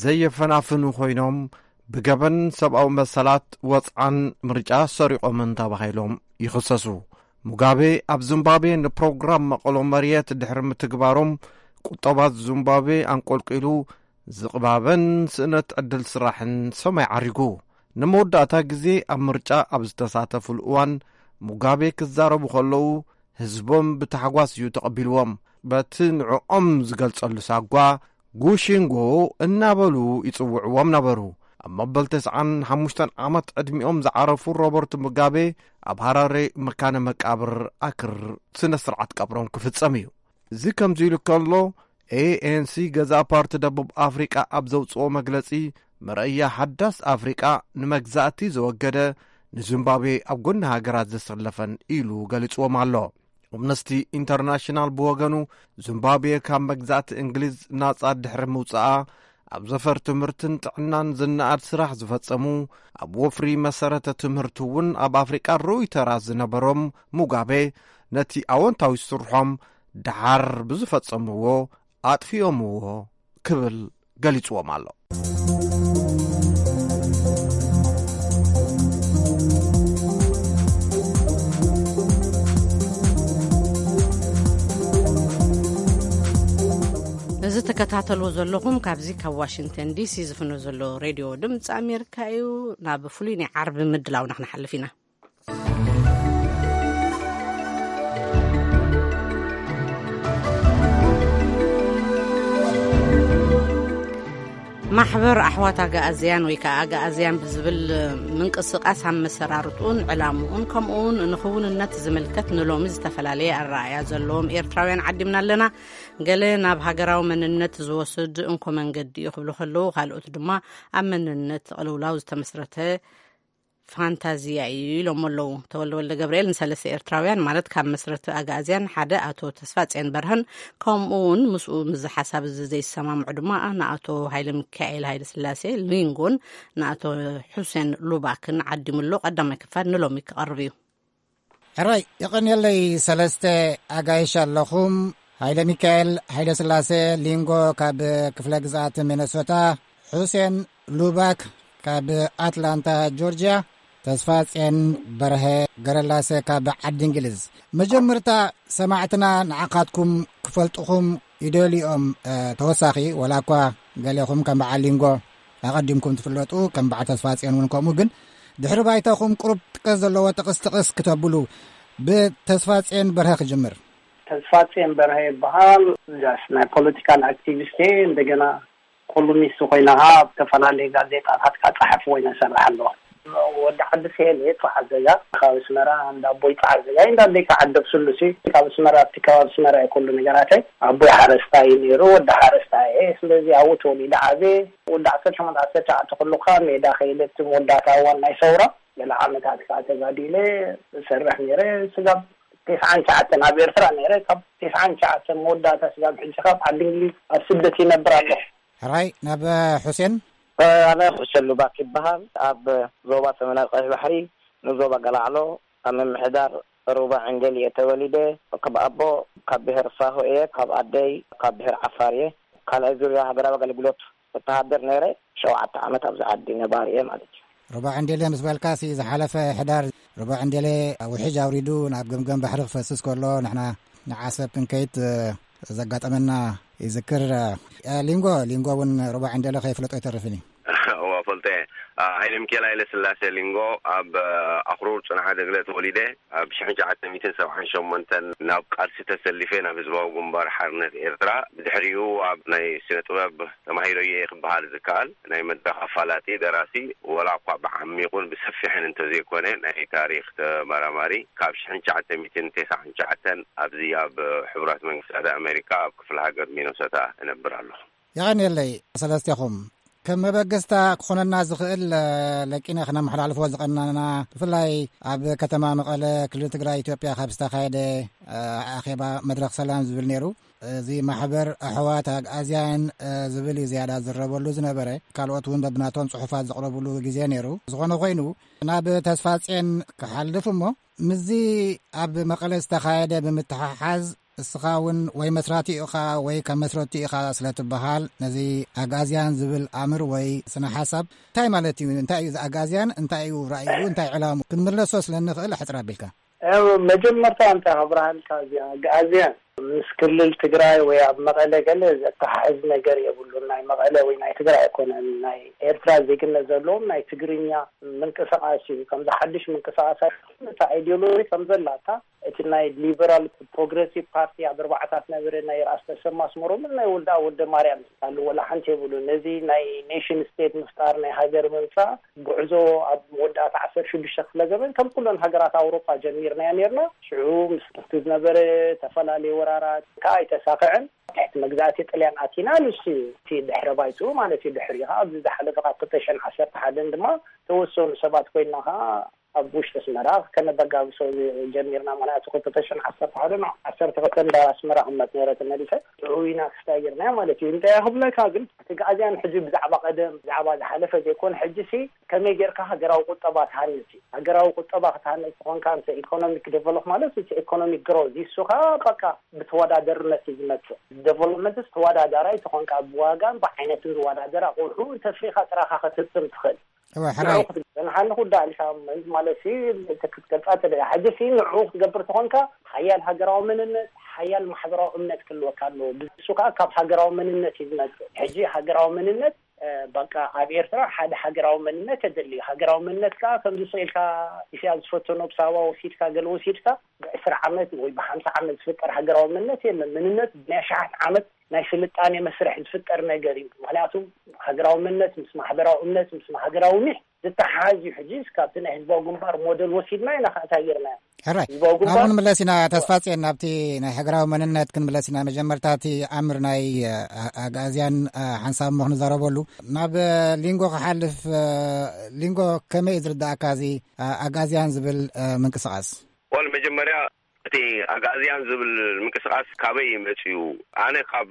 ዘየፈናፍኑ ኮይኖም ብገበን ሰብኣዊ መሰላት ወጽዓን ምርጫ ሰሪቖምን ተባሂሎም ይኽሰሱ። ሙጋቤ ኣብ ዚምባብዌ ንፕሮግራም መቐሎ መሬት ድሕሪ ምትግባሮም ቁጠባ ዚምባብዌ ኣንቆልቂሉ ዝቕባበን ስእነት ዕድል ስራሕን ሰማይ ዓሪጉ። ንመወዳእታ ግዜ ኣብ ምርጫ ኣብ ዝተሳተፉሉ እዋን ሙጋቤ ክዛረቡ ከለዉ ህዝቦም ብታሕጓስ እዩ ተቐቢልዎም። በቲ ንዕኦም ዝገልጸሉ ሳጓ ጉሺንጎ እናበሉ ይጽውዕዎም ነበሩ። ኣብ መበል ተስዓን ሓሙሽተን ዓመት ዕድሚኦም ዝዓረፉ ሮበርት ሙጋቤ ኣብ ሃራሬ መካነ መቃብር ኣክር ስነ ስርዓት ቀብሮም ክፍጸም እዩ። እዚ ከምዚ ኢሉ ከሎ ኤኤንሲ ገዛእ ፓርቲ ደቡብ ኣፍሪቃ ኣብ ዘውጽኦ መግለጺ መረእያ ሓዳስ ኣፍሪቃ ንመግዛእቲ ዘወገደ ንዚምባብዌ ኣብ ጎኒ ሃገራት ዘሰለፈን ኢሉ ገሊጽዎም ኣሎ። ኣምነስቲ ኢንተርናሽናል ብወገኑ ዚምባብዌ ካብ መግዛእቲ እንግሊዝ ናጻ ድሕሪ ምውጻኣ ኣብ ዘፈር ትምህርትን ጥዕናን ዝነኣድ ስራሕ ዝፈጸሙ ኣብ ወፍሪ መሰረተ ትምህርቲ እውን ኣብ ኣፍሪቃ ርኡይ ተራ ዝነበሮም ሙጋቤ ነቲ ኣወንታዊ ስርሖም ደሓር ብዝፈጸምዎ ኣጥፊኦምዎ ክብል ገሊጽዎም ኣሎ። እዚ ተከታተልዎ ዘለኹም ካብዚ ካብ ዋሽንግተን ዲሲ ዝፍኖ ዘሎ ሬድዮ ድምፂ ኣሜሪካ እዩ። ናብ ፍሉይ ናይ ዓርቢ ምድላውና ክንሓልፍ ኢና። ማሕበር ኣሕዋት ኣጋኣዝያን ወይ ከዓ ኣጋኣዝያን ብዝብል ምንቅስቃስ ኣመሰራርትኡን ዕላምኡን ከምኡውን ንኽውንነት ዝምልከት ንሎሚ ዝተፈላለየ ኣረኣእያ ዘለዎም ኤርትራውያን ዓዲምና ኣለና። ገለ ናብ ሃገራዊ መንነት ዝወስድ እንኮ መንገዲ እዩ ክብሉ ከለዉ፣ ካልኦት ድማ ኣብ መንነት ቅልውላው ዝተመስረተ ፋንታዚያ እዩ ኢሎም ኣለዉ። ተወልደ ወልደ ገብርኤል ንሰለስተ ኤርትራውያን ማለት ካብ መስረቲ ኣግኣዝያን ሓደ ኣቶ ተስፋጽዮን በርሀን ከምኡ እውን ምስኡ ምስዚ ሓሳብ እዚ ዘይሰማምዑ ድማ ንኣቶ ሃይለ ሚካኤል ሃይለ ስላሴ ሊንጎን ንኣቶ ሑሴን ሉባክን ዓዲሙ ኣሎ። ቀዳማይ ክፋል ንሎሚ ክቐርብ እዩ። ሕራይ የቐንየለይ። ሰለስተ ኣጋይሽ ኣለኹም። ሃይለ ሚካኤል ሃይለ ስላሴ ሊንጎ ካብ ክፍለ ግዝኣት ሚነሶታ፣ ሑሴን ሉባክ ካብ ኣትላንታ ጆርጅያ፣ ተስፋጽዮን በርሀ ገረላሰ ካብ ዓዲ እንግሊዝ። መጀመርታ ሰማዕትና ንዓኻትኩም ክፈልጥኹም ይደልዩ እዮም፣ እ፣ ተወሳኺ፣ ወላ እኳ ገሌኹም ከም በዓል ሊንጎ ኣቐዲምኩም ትፍለጡ፣ ከም በዓል ተስፋጽዮን እውን ከምኡ፣ ግን ድሕሪ ባይታኹም ቁሩብ ጥቀስ ዘለዎ ጥቕስ ጥቕስ ክተብሉ፣ ብተስፋጽዮን በርሀ ክጅምር። ተስፋጽዮን በርሀ ይበሃል። ጃስ ናይ ፖለቲካል ኣክቲቪስት እየ። እንደገና ኮሉኒስት ኮይና ኣብ ዝተፈላለዩ ጋዜጣታት ካብ ጸሓፊ ኮይነ ሰርሕ ኣለኹ። ወዲ ዓዲ ስሄል እየ፣ ጸዓዘጋ ካብ ኣስመራ፣ እንዳ ኣቦይ ጸዓዘጋ፣ እንዳ ኣደይ ከዓደብ ስሉሲ። ካብ ኣስመራ፣ ኣብቲ ከባቢ ኣስመራ እዩ ኩሉ ነገራተይ። ኣቦይ ሓረስታይ እዩ ነይሩ፣ ወዲ ሓረስታይ እየ። ስለዚ ኣብኡ ተወሊደ ዓብየ። ወዲ ዓሰርተ ሸሞንተ ዓሰርተ ትሽዓተ ኩሉ ከኣ ሜዳ ከይደ፣ እቲ መወዳእታ እዋን ናይ ሰውራ ገለ ዓመታት ከኣ ተጋዲለ እሰርሕ ነይረ። ስጋብ ተስዓን ትሽዓተን ኣብ ኤርትራ ነይረ። ካብ ተስዓን ትሽዓተን መወዳእታ ስጋብ ሕጂ ካብ ዓዲ እንግሊዝ ኣብ ስደት ይነብር ኣለኹ። ሕራይ፣ ናብ፣ እ፣ ሑሴን። እ፣ ኣነ ሑሴን ሉባክ ይበሃል። ኣብ ዞባ ሰሜናዊ ቀይሕ ባሕሪ፣ ንዞባ ገላዕሎ፣ ኣብ ምምሕዳር ሩባ ዕንዴል እየ ተወሊደ። ካብ ኣቦ ካብ ብሄር ሳሆ እየ፣ ካብ ኣደይ ካብ ብሄር ዓፋር እየ። ካልኣይ ዙርያ ሃገራዊ ኣገልግሎት ወተሃደር ነይረ። ሸውዓተ ዓመት ኣብዚ ዓዲ ነባሪ እየ ማለት እዩ። ሩባ ዕንዴል ምስ በልካሲ፣ ዝሓለፈ ሕዳር ሩባ ዕንዴል ውሕጅ ኣውሪዱ ናብ ገምገም ባሕሪ ክፈስስ ከሎ፣ ንሕና ንዓሰብ ክንከይድ፣ እ፣ ዘጋጠመና ይዝክር። እ፣ ሊንጎ፣ ሊንጎ እውን ሩባ ዕንዴል ከይፍለጦ ኣይተርፍን እዩ። እዋ፣ ፈልጦ እየ። እ፣ ሃይለ ሚካኤል ሃይለ ስላሴ ሊንጎ፣ ኣብ፣ እ፣ ኣኽሩር ጽንሓ ደግለ ተወሊደ። ኣብ ሽሕን ትሽዓተ ሚእትን ሰብዓን ሸሞንተን ናብ ቃልሲ ተሰሊፈ፣ ናብ ህዝባዊ ግንባር ሓርነት ኤርትራ። ብድሕሪኡ ኣብ ናይ ስነ ጥበብ ተማሂረዮ እየ ክበሃል ዝከኣል፣ ናይ መድረኽ ኣፋላጢ፣ ደራሲ፣ ወላ እኳ ብዓሚቑን ብሰፊሕን እንተዘይኮነ፣ ናይ ታሪኽ ተመራማሪ። ካብ ሽሕን ትሽዓተ ሚእትን ተስዓን ትሽዓተን ኣብዚ ኣብ ሕቡራት መንግስታት ኣሜሪካ ኣብ ክፍለ ሃገር ሚነሶታ እነብር ኣለኹ። የቐንየለይ ሰለስቴኹም። ከም መበገስታ ክኾነና ዝኽእል፣ እ፣ ለቂነ ክነመሓላልፎ ዝቐናና፣ ብፍላይ ኣብ ከተማ መቐለ፣ ክልል ትግራይ፣ ኢትዮጵያ፣ ካብ ዝተኻየደ፣ እ፣ ኣኼባ መድረኽ ሰላም ዝብል ነይሩ። እዚ ማሕበር ኣሕዋት ኣግኣዝያን፣ እ፣ ዝብል እዩ ዝያዳ ዝረበሉ ዝነበረ። ካልኦት እውን በብናቶም ጽሑፋት ዘቕረብሉ ግዜ ነይሩ። ዝኾነ ኮይኑ፣ ናብ ተስፋጼን ክሓልፍ እሞ፣ ምስዚ ኣብ መቐለ ዝተኻየደ ብምትሓሓዝ፣ እስኻ እውን ወይ መስራቲ ኢኻ ወይ ካብ መስረቲ ኢኻ ስለ ትበሃል፣ ነዚ ኣግኣዝያን ዝብል ኣምር ወይ ስነ ሓሳብ እንታይ ማለት እዩ? እንታይ እዩ እዚ ኣግኣዝያን? እንታይ እዩ ራእዩ? እንታይ ዕላሙ? ክንምለሶ ስለ እንኽእል፣ ኣሕጽር ኣቢልካ። ያው መጀመርታ እንታይ ክብርሃልካ፣ እዚኣ ኣግኣዝያን ምስ ክልል ትግራይ ወይ ኣብ መቐለ ገለ ዘተሓሕዝ ነገር የብሉን። ናይ መቐለ ወይ ናይ ትግራይ ኣይኮነን። ናይ ኤርትራ ዜግነት ዘለዎም ናይ ትግርኛ ምንቅስቃስ እዩ። ከምዚ ሓድሽ ምንቅስቃስ ኣይኮነን። እታ ኣይዲዮሎጂ ከም ዘላታ፣ እቲ ናይ ሊበራል ፕሮግረሲቭ ፓርቲ ኣብ ኣርባዓታት ነበረ፣ ናይ ራስ ተሰማ ኣስመሮምን ናይ ወልደኣብ ወልደማርያም ኣሎ፣ ወላ ሓንቲ የብሉን። ነዚ ናይ ኔሽን ስቴት ምፍጣር፣ ናይ ሃገር ምምጻእ ጉዕዞ ኣብ መወዳእታ ዓሰርተ ሽዱሽተ ክፍለ ዘመን ከም ኩለን ሃገራት ኣውሮጳ ጀሚርናዮ ነርና። ሽዑ ምስ፣ ምስቲ ዝነበረ ተፈላለየ ወራራት ከኣ ኣይተሳኽዐን። ትሕቲ መግዛእቲ ጥልያን ኣቲና፣ ንሱ እዩ እቲ ድሕረ ባይትኡ ማለት እዩ። ድሕሪ ከኣ ኣብዚ ዝሓለፈ ካብ ክልተ ሽሕን ዓሰርተ ሓደን ድማ ተወሰኑ ሰባት ኮይንና ከኣ ኣብ ውሽጢ ኣስመራ ከነበጋግሶ ጀሚርና። ምኽንያቱ ክልተ ሽሕን ዓሰርተ ሓደ ናብ ዓሰርተ ክልተ እንዳ ኣስመራ ክመጽ ነይረ ተመሊሰ። ሽዑ ኢና ክስታይ ጌርናዮ ማለት እዩ። እንታይ ክብለካ ግን፣ እቲ ኣግኣዝያን ሕጂ ብዛዕባ ቀደም፣ ብዛዕባ ዝሓለፈ ዘይኮነ፣ ሕጂ ሲ ከመይ ጌርካ ሃገራዊ ቁጠባ ትሃንጽ እዩ። ሃገራዊ ቁጠባ ክትሃንጽ ትኾንካ፣ እንተ ኢኮኖሚክ ዴቨሎፕ ማለት እቲ ኢኮኖሚክ ግሮዝ፣ ንሱ ኸኣ በቃ ብተወዳደርነት እዩ ዝመጽእ። ዴቨሎፕመንትስ ተወዳዳራይ ትኾንካ፣ ብዋጋን ብዓይነትን ዝወዳደር ኣቑሑ እንተፍሪኻ ጥራኻ ክትህብትም ትኽእል። እወ፣ ሕራይ። ንዑ ክትገንሓኒ ኩዳ ኢልካ ማለት ሲ፣ ክትገልጻ ተደልያ። ሕጂ ሲ ንዑ ክትገብር ተኾንካ፣ ሓያል ሃገራዊ መንነት፣ ሓያል ማሕበራዊ እምነት ክህልወካ ኣለዎ። ብሱ ከኣ ካብ ሃገራዊ መንነት እዩ ዝመጽእ። ሕጂ ሃገራዊ መንነት፣ እ፣ በቃ ኣብ ኤርትራ ሓደ ሃገራዊ መንነት ተደልዩ። ሃገራዊ መንነት ከኣ ከምዚ ስቕ ኢልካ ኢሳያስ ዝፈተኖ ብሳባ ወሲድካ፣ ገለ ወሲድካ፣ ብዕስራ ዓመት ወይ ብሓምሳ ዓመት ዝፍጠር ሃገራዊ መንነት የለን። መንነት ናይ ኣሽሓት ዓመት ናይ ስልጣኔ መስርሕ ዝፍጠር ነገር እዩ። ምኽንያቱ ሃገራዊ መንነት ምስ ማሕበራዊ እምነት፣ ምስ ሃገራዊ ኒሕ ዝተሓሓዝ እዩ። ሕጂ እስካብ እቲ ናይ ህዝባዊ ግንባር ሞዴል ወሲድና ኢና ከኣ እንታይ ጌርና? ሕራይ፣ ህዝባዊ ግንባር ናብኡ ንምለስ ኢና። ተስፋጽዮን፣ ናብቲ ናይ ሃገራዊ መንነት ክንምለስ ኢና። መጀመርታ እቲ ኣምር ናይ፣ እ፣ ኣግኣዝያን፣ እ፣ ሓንሳብ እሞ ክንዛረበሉ። ናብ፣ እ፣ ሊንጎ ክሓልፍ፣ እ፣ ሊንጎ፣ ከመይ እዩ ዝርዳእካ እዚ፣ እ፣ ኣግኣዝያን ዝብል፣ እ፣ ምንቅስቓስ? ወል መጀመርያ እቲ ኣግኣዝያን ዝብል ምንቅስቓስ ካበይ እዩ መጺኡ? ኣነ ካብ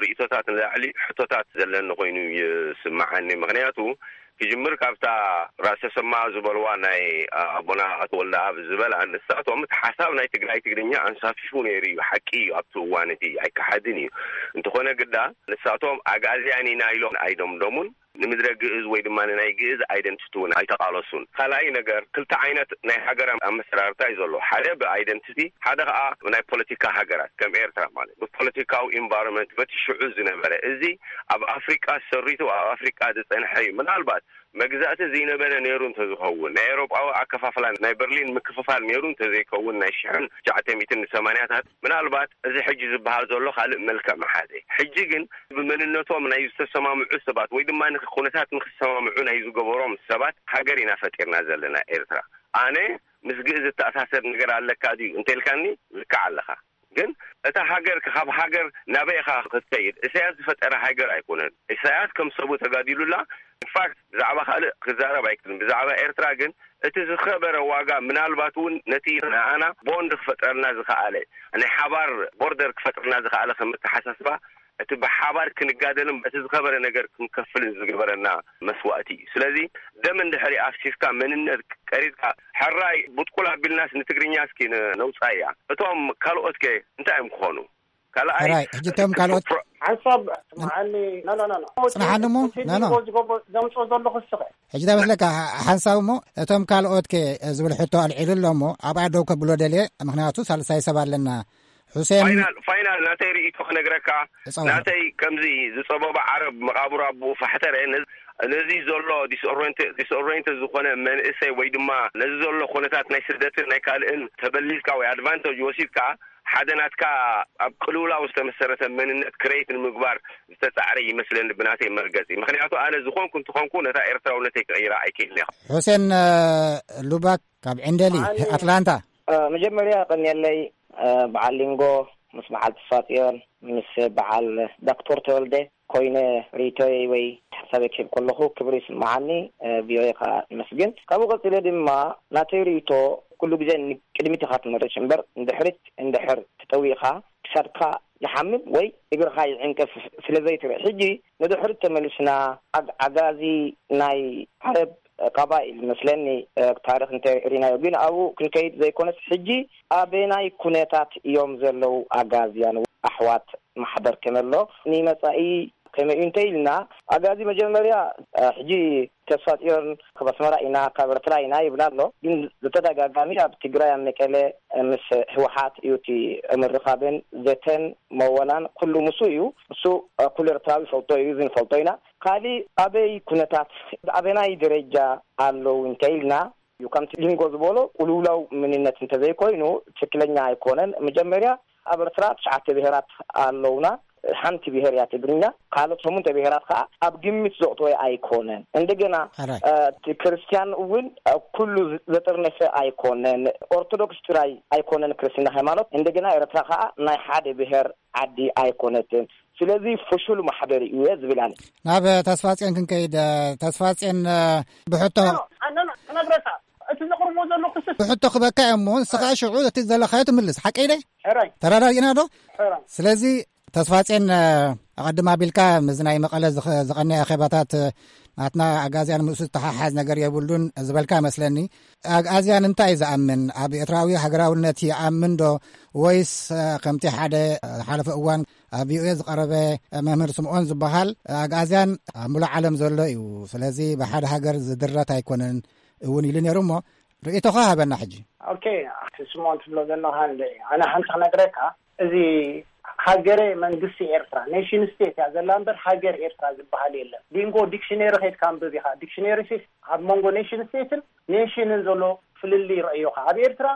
ርእይቶታት ንላዕሊ ሕቶታት ዘለኒ ኮይኑ ይስምዓኒ። ምኽንያቱ ክጅምር ካብታ ራእሲ ተሰማ ዝበልዋ ናይ ኣቦና ኣቶ ወልደኣብ ዝበላ፣ ንሳቶም እቲ ሓሳብ ናይ ትግራይ ትግርኛ ኣንሳፊፉ ነይሩ እዩ። ሓቂ እዩ፣ ኣብቲ እዋን እቲ ኣይከሓድን እዩ። እንተኾነ ግዳ ንሳቶም ኣግኣዝያን ኢና ኢሎም ኣይደምደሙን። ንምድረ ግእዝ ወይ ድማ ንናይ ግእዝ ኣይደንቲቲ እውን ኣይተቓለሱን። ካልኣይ ነገር፣ ክልተ ዓይነት ናይ ሃገር ኣመሰራርታ እዩ ዘሎ። ሓደ ብኣይደንቲቲ፣ ሓደ ከዓ ናይ ፖለቲካ ሃገራት፣ ከም ኤርትራ ማለት። ብፖለቲካዊ ኢንቫይሮንመንት በቲ ሽዑ ዝነበረ፣ እዚ ኣብ ኣፍሪቃ ሰሪቱ ኣብ ኣፍሪቃ ዝጸንሐ እዩ። ምናልባት መግዛእቲ ዘይነበረ ነይሩ እንተዝኸውን፣ ናይ ኤውሮጳዊ ኣከፋፍላ ናይ በርሊን ምክፍፋል ነይሩ እንተዘይከውን፣ ናይ ሽሕን ትሽዓተ ሚእትን ሰማንያታት፣ ምናልባት እዚ ሕጂ ዝበሃል ዘሎ ካልእ መልክዕ መሓዘ። ሕጂ ግን ብመንነቶም ናይ ዝተሰማምዑ ሰባት ወይ ድማ ንክ-፣ ኩነታት ንክሰማምዑ ናይ ዝገበሮም ሰባት ሃገር ኢና ፈጢርና ዘለና ኤርትራ። ኣነ ምስ ግእዝ ዝተኣሳሰር ነገር ኣለካ ድዩ እንተልካኒ፣ ልክዕ ኣለኻ። ግን እታ ሃገር ካብ ሃገር ናበይ ኢኻ ክትከይድ? ኢሳያስ ዝፈጠረ ሃገር ኣይኮነን። ኢሳያስ ከም ሰቡ ተጋዲሉላ። ኢንፋክት ብዛዕባ ካልእ ክዛረብ ኣይክልን። ብዛዕባ ኤርትራ ግን እቲ ዝኸበረ ዋጋ፣ ምናልባት እውን ነቲ ንኣና ቦንድ ክፈጥረልና ዝኸኣለ፣ ናይ ሓባር ቦርደር ክፈጥረልና ዝኸኣለ ከም ኣተሓሳስባ፣ እቲ ብሓባር ክንጋደልን እቲ ዝኸበረ ነገር ክንከፍልን ዝገበረና መስዋእቲ እዩ። ስለዚ ደም እንድሕሪ ኣፍሲስካ፣ መንነት ቀሪጽካ፣ ሕራይ ቡጥቁል ኣቢልናስ ንትግርኛ እስኪ ን-፣ ነውጻያ። እቶም ካልኦት ከ እንታይ እዮም ክኾኑ? ካልኣይ፣ ሕራይ፣ ሕጂ እቶም እቲ ካልኦት ፕሮ-፣ ሓንሳብ መዓኒ፣ ኖ፣ ኖ፣ ኖ፣ ኖ። ጽንሓኒ እሞ፣ እቲ ኖ፣ ኖ። ሊንጎ ዝገብሮ፣ ዘምጽኦ ዘሎ ክስኸ። ሕጂ እንታይ መስለካ፣ ሓንሳብ እሞ፣ እቶም ካልኦት ከ ዝብል ሕቶ ኣልዒሉ ኣሎ እሞ፣ ኣብኣ ደው ከብሎ ደልየ፣ ምኽንያቱ ሳልሳይ ሰብ ኣለና። ሑሴን። ፋይናል፣ ፋይናል ናተይ ርእይቶ ክነግረካ፣ እጸዋዕ። ናተይ ከምዚ ዝጸበበ ዓረብ መቓብር ኣቦኡ ፋሕተረ፣ ነዚ፣ ነዚ ዘሎ ዲስኦሬንት-፣ ዲስኦሬንት ዝኾነ መንእሰይ ወይ ድማ ነዚ ዘሎ ኩነታት ናይ ስደትን ናይ ካልእን ተበሊጽካ ወይ ኣድቫንቴጅ ወሲድካ ሓደ ናትካ ኣብ ቅልውላው ዝተመሰረተ መንነት ክሬት ንምግባር ዝተጻዕረ ይመስለኒ ብናተይ መርገጺ። ምኽንያቱ ኣነ ዝኾንኩ እንተኾንኩ ነታ ኤርትራውነተይ ክቕይራ ኣይክእልን እየ። ሑሴን፣ እ፣ ሉባክ ካብ ዕንደሊ፣ ኣነ ኣትላንታ። እ፣ መጀመርያ ቀንየለይ፣ እ፣ በዓል ሊንጎ ምስ በዓል ተስፋጽዮን ምስ በዓል ዶክተር ተወልደ ኮይነ ርእይቶይ ወይ ሓሳበይ ክህብ ከለኹ ክብሪ ይስምዓኒ፣ እ፣ ቪኦኤ ከኣ ይመስግን። ካብኡ ቀጺለ ድማ ናተይ ርእይቶ ኩሉ ግዜ ንቅድሚት ኢኻ ትመርጽ እምበር ንድሕሪት እንድሕር ተጠዊእኻ ክሳድካ ይሓምም ወይ እግርኻ ይዕንቅፍ ስለ ዘይትርኢ። ሕጂ ንድሕሪት ተመሊስና ኣግ-፣ ኣጋዚ ናይ ዓረብ ቀባኢል መስለኒ፣ እ፣ ታሪኽ እንተ ሪናዮ ግን ኣብኡ ክንከይድ ዘይኮነስ ሕጂ ኣበናይ ኩነታት እዮም ዘለዉ ኣጋዝያን ኣሕዋት ማሕበር ከመሎ ንመጻኢ ከመይ እዩ እንተ ኢልና ኣጋዚ መጀመርያ፣ እ፣ ሕጂ ተስፋ ጽዮን ካብ ኣስመራ ኢና ካብ ኤርትራ ኢና ይብላ ኣሎ። ግን ብተደጋጋሚ ኣብ ትግራይ ኣብ መቀለ፣ እ፣ ምስ ህወሓት እዩ እቲ ምርኻብን ዘተን መወላን ኩሉ ምስ እዩ። እሱ፣ እ፣ ኩሉ ኤርትራዊ ይፈልጦ እዩ፣ እዚ ንፈልጦ ኢና። ካሊእ ኣበይ ኩነታት ኣበናይ ደረጃ ኣለዉ እንተ ኢልና እዩ። ከምቲ ሊንጎ ዝበሎ ቅልውላው መንነት እንተዘይኮይኑ ትክክለኛ ኣይኮነን። መጀመርያ ኣብ ኤርትራ ትሽዓተ ብሄራት ኣለውና። ሓንቲ ብሄር እያ ትግርኛ። ካልኦት ሸሞንተ ብሄራት ከዓ ኣብ ግምት ዘእተወ ኣይኮነን። እንደገና፣ ኣራይ። እ፣ እቲ ክርስትያን እውን፣ እ፣ ኩሉ ዘጠርነፈ ኣይኮነን። ኦርቶዶክስ ጥራይ ኣይኮነን ክርስትና ሃይማኖት። እንደገና ኤርትራ ከዓ ናይ ሓደ ብሄር ዓዲ ኣይኮነትን። ስለዚ ፍሹል ማሕበር እዩ እየ ዝብል ኣነ። ናብ ተስፋጽዮን ክንከይድ፣ ተስፋጽዮን፣ ብሕቶ ኣነ ክነግረካ፣ እቲ ዘቕርቦ ዘሎ ክስስ ብሕቶ ክበካ እየ እሞ፣ ንስኻ ሽዑ እቲ ዘለኻዮ ትምልስ። ሓቀይ ደ? ሕራይ። ተረዳዲእና ዶ? ሕራይ። ስለዚ ተስፋጽዮን፣ ኣቐድም ኣቢልካ ምስዚ ናይ መቐለ ዝኸ-፣ ዝቐነየ ኣኼባታት፣ ናትና ኣጋዝያን ምስኡ ዝተሓሓዝ ነገር የብሉን ዝበልካ መስለኒ። ኣግኣዝያን እንታይ እዩ ዝኣምን? ኣብ ኤርትራዊ ሃገራውነት ይኣምን ዶ? ወይስ፣ እ፣ ከምቲ ሓደ፣ እ፣ ዝሓለፈ እዋን ኣብ ቪኦኤ ዝቐረበ፣ እ፣ መምህር ስምዖን ዝበሃል፣ እ፣ ኣግኣዝያን ኣብ ሙሉእ ዓለም ዘሎ እዩ። ስለዚ ብሓደ ሃገር ዝድረት ኣይኮነን እውን ኢሉ ነይሩ እሞ፣ ርእይቶኻ ሃበና ሕጂ። ኦኬ፣ ኣቲ ስምዖን ትብሎ ዘለኻ እንደ፣ ኣነ ሓንቲ ክነግረካ፣ እዚ ሃገረ መንግስቲ ኤርትራ፣ ኔሽን ስቴት እያ ዘላ እምበር ሃገር ኤርትራ ዝበሃል የለን። ሊንጎ ዲክሽነሪ ከይድካ ኣንብብ ኢኻ። ዲክሽነሪ ሲ ኣብ መንጎ ኔሽን ስቴትን ኔሽንን ዘሎ ፍልልይ ረእዮኻ። ኣብ ኤርትራ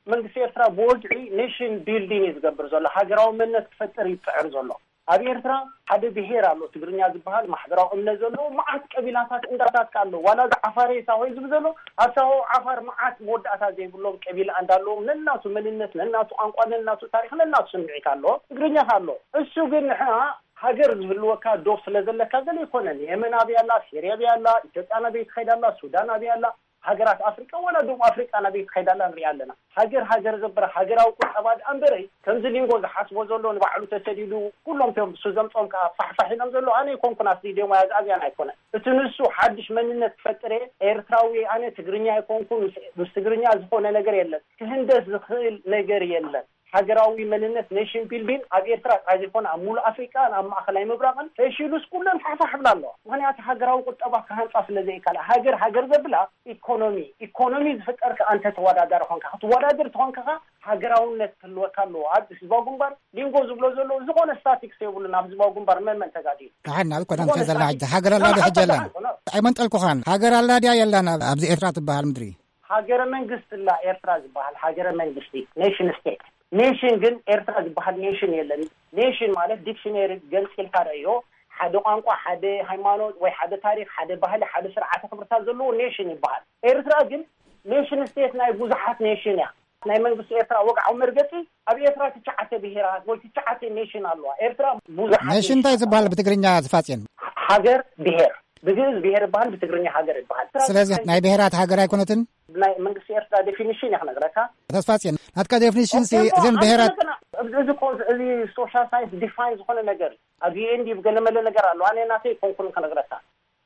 መንግስቲ ኤርትራ ብወግዒ ኔሽን ቢልዲንግ እዩ ዝገብር ዘሎ። ሃገራዊ መንነት ክፈጥር ይጽዕር ዘሎ። ኣብ ኤርትራ ሓደ ብሄር ኣሎ፣ ትግርኛ ዝበሃል ማሕበራዊ እምነት ዘለዎ፣ መዓት ቀቢላታት እንዳታት ከ ኣሎ። ዋላ እዚ ዓፋሬ ሳሆ ዝብል ዘሎ፣ ኣብ ሳሆ ዓፋር መዓት መወዳእታ ዘይብሎም ቀቢላ እንዳለዎም፣ ነናቱ መንነት፣ ነናቱ ቋንቋ፣ ነናቱ ታሪኽ፣ ነናቱ ስምዒት ኣሎ፣ ትግርኛ ከ ኣሎ። እሱ ግን ንሕና ሃገር ዝህልወካ ዶብ ስለ ዘለካ ገለ ይኮነን። የመን ኣበይ ኣላ? ሴርያ ኣበይ ኣላ? ኢትዮጵያ ናበይ ትኸይድ ኣላ? ሱዳን ኣበይ ኣላ? ሃገራት ኣፍሪቃ ዋላ ደቡብ ኣፍሪቃ ናበይ ትኸይድ ኣላ ንሪኣ ኣለና። ሃገር ሃገር ዘበረ ሃገራዊ ቁጠባ ደኣ እምበረይ፣ ከምዚ ሊንጎ ዝሓስቦ ዘሎ ንባዕሉ ተሰዲዱ፣ ኩሎም እቶም ንሱ ዘምጾም ከኣ ፋሕፋሕ ኢሎም ዘለዉ፣ ኣነ ኣይኮንኩን ኣስዲድዮም ወይ ኣግኣዝያን ኣይኮነን። እቲ ንሱ ሓድሽ መንነት ክፈጥር እየ፣ ኤርትራዊ እየ ኣነ፣ ትግርኛ ኣይኮንኩን፣ ምስ፣ ምስ ትግርኛ ዝኾነ ነገር የለን፣ ክህንደስ ዝኽእል ነገር የለን። ሃገራዊ መንነት፣ ኔሽን ቢልዲንግ፣ ኣብ ኤርትራ ጥራይ ዘይኮነ ኣብ ሙሉእ ኣፍሪቃን ኣብ ማእከላይ ምብራቕን ፈሺሉስ ኩለን ፋሕፋሕ ይብላ ኣለዋ። ምኽንያቱ ሃገራዊ ቁጠባ ክሃንጻ ስለ ዘይከኣላ። ሃገር ሃገር ዘብላ ኢኮኖሚ፣ ኢኮኖሚ ዝፍጠር ከኣ እንተ ተወዳዳሪ ኾንካ፣ ክትወዳደር ተኾንካ ከኣ ሃገራውነት ክህልወካ ኣለዎ። ኣብ ህዝባዊ ግንባር ሊንጎ ዝብሎ ዘሎ ዝኾነ ስታቲክስ የብሉን። ኣብ ህዝባዊ ግንባር መን መን ተጋዲሉ? ደሓን ናብ እኮ ዝኾነ እንታይ ዘለና ስታቲክስ ሕጂ? ሃገር ኣላ ዶ ሕጂ ኣላ? ደሓን፣ ኣይመንጠልኩኻን። ሃገር ኣላ ድያ የላን ኣብ- ኣብዚ ኤርትራ ትበሃል ምድሪ? ሃገረ መንግስቲ ኣላ ኤርትራ ዝበሃል ሃገረ መንግስቲ፣ ኔሽን ስቴት። ኔሽን ግን ኤርትራ ዝበሃል ኔሽን የለን። ኔሽን ማለት ዲክሽነሪ ገልጺልካ ረእዮ፣ ሓደ ቋንቋ፣ ሓደ ሃይማኖት ወይ ሓደ ታሪኽ፣ ሓደ ባህሊ፣ ሓደ ስርዓተ ክብርታት ዘለዎ ኔሽን ይበሃል። ኤርትራ ግን ኔሽን ስቴት ናይ ብዙሓት ኔሽን እያ። ናይ መንግስቲ ኤርትራ ወግዓዊ መርገጺ፣ ኣብ ኤርትራ ትሽዓተ ብሄራት ወይ ትሽዓተ ኔሽን ኣለዋ። ኤርትራ ብዙሓት ኔሽን እንታይ ዝበሃል ብትግርኛ ዝፋጽየን? ሃገር ብሄር፣ ብግእዝ ብሄር ይበሃል፣ ብትግርኛ ሃገር ይበሃል። ስለዚ ናይ ብሄራት ሃገር ኣይኮነትን? ናይ መንግስቲ ኤርትራ ዴፊኒሽን እያ ክነግረካ። ተስፋጽየን፣ ናትካ ዴፊኒሽን ሲ እዘን ብሄራት እዚ ሶሻል ሳይንስ ዲፋይን ዝኾነ ነገር እዩ። ኣብ ዩኤን ዲብ ገለመለ ነገር ኣሎ። ኣነ ናተይ ኮንኩን ክነግረካ።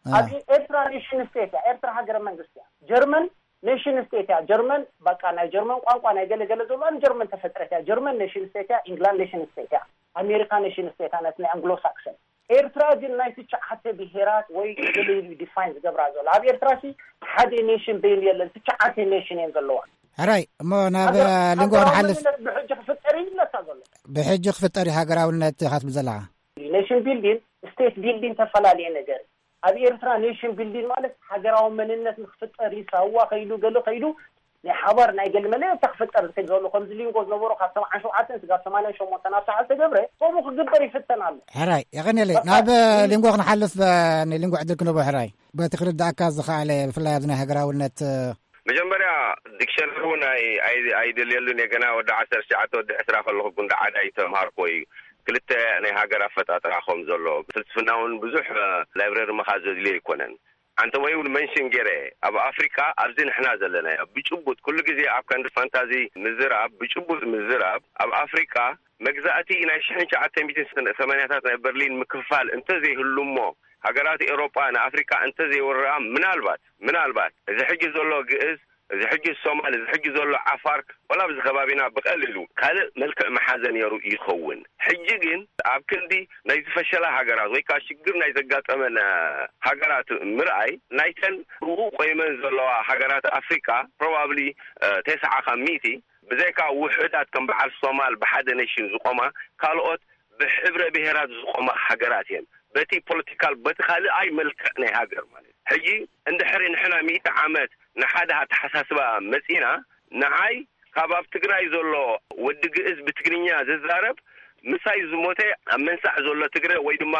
ኣብ ኤርትራ ኔሽን ስቴት እያ። ኤርትራ ሃገረ መንግስቲ እያ። ጀርመን ኔሽን ስቴት እያ። ጀርመን በቃ ናይ ጀርመን ቋንቋ ናይ ገለ ገለ ዘሎ ጀርመን ተፈጥረት እያ። ጀርመን ኔሽን ስቴት እያ። ኢንግላንድ ኔሽን ስቴት እያ። ኣሜሪካ ኔሽን ስቴት እያ። ናይ ኣንግሎ ሳክሰን። ኤርትራ ግን ናይ ትሽዓተ ብሄራት ወይ ገለ ኢሉ ዲፋይን ዝገብራ ዘሎ። ኣብ ኤርትራ ሲ ሓደ ኔሽን በይኑ የለን። ትሽዓተ ኔሽን እየን ዘለዋ። ሕራይ እሞ ናብ ሊንጎ ክንሓልፍ። ብሕጂ ክፍጠር እዩ ዝብለካ ዘሎ። ብሕጂ ክፍጠር እዩ ሃገራውነት ኢኻ ትብል ዘለኻ። ኔሽን ቢልዲን ስቴት ቢልዲን ተፈላለየ ነገር እዩ። ኣብ ኤርትራ ኔሽን ቢልዲን ማለት ሃገራዊ መንነት ንክፍጠር እዩ። ሳዋ ከይዱ ገለ ከይዱ ናይ ሓባር ናይ ገለ መለየት ክፍጠር ዝከይድ ዘሎ ከምዚ ሊንጎ ዝነበሮ ካብ ሰብዓን ሸውዓተን ስጋብ ሰማንያን ሸሞንተን ኣብ ሰዓት ተገብረ ከምኡ ክግበር ይፍተን ኣሎ። ሕራይ የቐንየለይ። ናብ ሊንጎ ክንሓልፍ፣ ንሊንጎ ዕድል ክንህቦ። ሕራይ በቲ ክርዳእካ ዝኸኣለ ብፍላይ ኣብዚ ናይ ሃገራውነት መጀመርያ ዲክሸነሪ እውን ኣይ- ኣይ- ኣይደልየሉን እየ። ገና ወዲ ዓሰርተ ትሽዓተ ወዲ ዕስራ ከለኹ ጉንዲ ዓዳ ይተምሃርኮ እዩ። ክልተ ናይ ሃገር ኣፈጣጥራ ከም ዘሎ ፍልስፍና እውን ብዙሕ ላይብረሪ መኻ ዘድልዮ ኣይኮነን። ኣንተ ወይ እውን መንሽን ገይረ ኣብ ኣፍሪቃ ኣብዚ ንሕና ዘለናዮ ብጭቡጥ ኩሉ ግዜ ኣብ ከንዲ ፋንታዚ ምዝራብ ብጭቡጥ ምዝራብ ኣብ ኣፍሪቃ መግዛእቲ ናይ ሽሕን ትሽዓተ ሚእትን ሰማንያታት ናይ በርሊን ምክፋል እንተዘይህሉ እሞ ሃገራት ኤውሮጳ ንኣፍሪቃ እንተዘይወርኣ ምናልባት ምናልባት እዚ ሕጂ ዘሎ ግእዝ እዚ ሕጂ ሶማል እዚ ሕጂ ዘሎ ዓፋር ወላ ኣብዚ ከባቢና ብቐሊሉ ካልእ መልክዕ መሓዘ ነይሩ ይኸውን። ሕጂ ግን ኣብ ክንዲ ናይ ዝፈሸላ ሃገራት ወይ ከዓ ሽግር ናይ ዘጋጠመን ሃገራት ምርኣይ ናይተን ብኡ ቆይመን ዘለዋ ሃገራት ኣፍሪቃ ፕሮባብሊ ተስዓ ካብ ሚእቲ ብዘይካ ውሕዳት ከም በዓል ሶማል ብሓደ ኔሽን ዝቆማ ካልኦት ብሕብረ ብሄራት ዝቆማ ሃገራት እየን። በቲ ፖለቲካል በቲ ካልኣይ መልክዕ ናይ ሃገር ማለት ሕጂ እንድሕሪ ንሕና ሚእቲ ዓመት ንሓደ ኣተሓሳስባ መፂና ንዓይ ካብ ኣብ ትግራይ ዘሎ ወዲ ግእዝ ብትግርኛ ዝዛረብ ምሳይ ዝሞተ ኣብ መንሳዕ ዘሎ ትግረ ወይ ድማ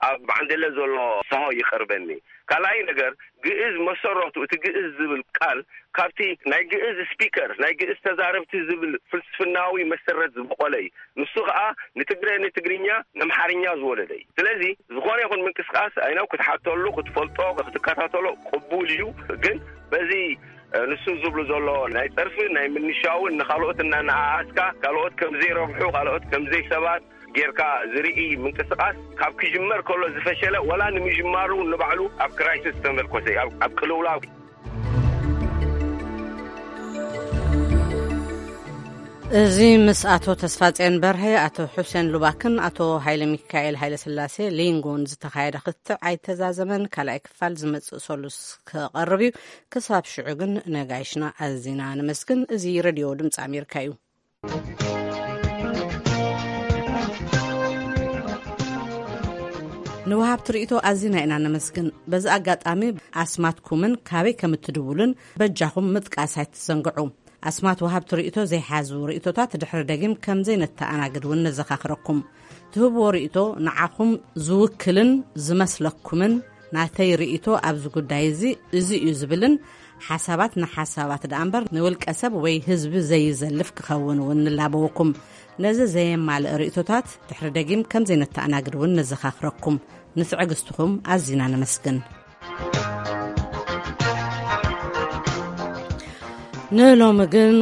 ኣብ ባዕንደለ ዘሎ ሰሆ ይቐርበኒ። ካልኣይ ነገር ግእዝ መሰረቱ እቲ ግእዝ ዝብል ቃል ካብቲ ናይ ግእዝ ስፒከር ናይ ግእዝ ተዛረብቲ ዝብል ፍልስፍናዊ መሰረት ዝበቆለ እዩ። ንሱ ከዓ ንትግረ ንትግርኛ ንኣምሓርኛ ዝወለደ እዩ። ስለዚ ዝኾነ ይኹን ምንቅስቃስ ኣይነው ክትሓተሉ ክትፈልጦ ክትከታተሎ ቅቡል እዩ። ግን በዚ ንሱ ዝብሉ ዘሎ ናይ ፀርፊ ናይ ምንሻውን ንካልኦት እናነኣኣስካ ካልኦት ከምዘይረብሑ ካልኦት ከምዘይሰባት ጌርካ ዝርኢ ምንቅስቃስ ካብ ክጅመር ከሎ ዝፈሸለ ወላ ንምጅማሩ ንባዕሉ ኣብ ክራይሲስ ተመርኮሰ ኣብ ቅልውላው። እዚ ምስ ኣቶ ተስፋጽዮን በርሀ ኣቶ ሑሴን ሉባክን ኣቶ ሃይለ ሚካኤል ሃይለ ስላሴ ሊንጎን ዝተኻየደ ክትዕ ኣይተዛዘመን። ካልኣይ ክፋል ዝመጽእ ሰሉስ ክቐርብ እዩ። ክሳብ ሽዑ ግን ነጋይሽና ኣዚና ነመስግን። እዚ ሬድዮ ድምፂ ኣሜሪካ እዩ። ንወሃብቲ ርእይቶ ኣዚና ኢና ነመስግን። በዚ ኣጋጣሚ ኣስማትኩምን ካበይ ከም እትድውሉን በጃኹም ምጥቃስ ኣይትዘንግዑ። ኣስማት ወሃብቲ ርእይቶ ዘይሓዙ ርእይቶታት ድሕሪ ደጊም ከም ዘይነተኣናግድ እውን ነዘኻኽረኩም። ትህብዎ ርእይቶ ንዓኹም ዝውክልን ዝመስለኩምን ናተይ ርእይቶ ኣብዚ ጉዳይ እዚ እዚ እዩ ዝብልን ሓሳባት ንሓሳባት ደኣ እምበር ንውልቀ ሰብ ወይ ህዝቢ ዘይዘልፍ ክኸውን እውን ንላበወኩም። ነዚ ዘየማልእ ርእይቶታት ድሕሪ ደጊም ከም ዘይነተኣናግድ እውን ነዘኻኽረኩም። ንትዕግስትኹም ኣዚና ነመስግን። ንሎሚ ግን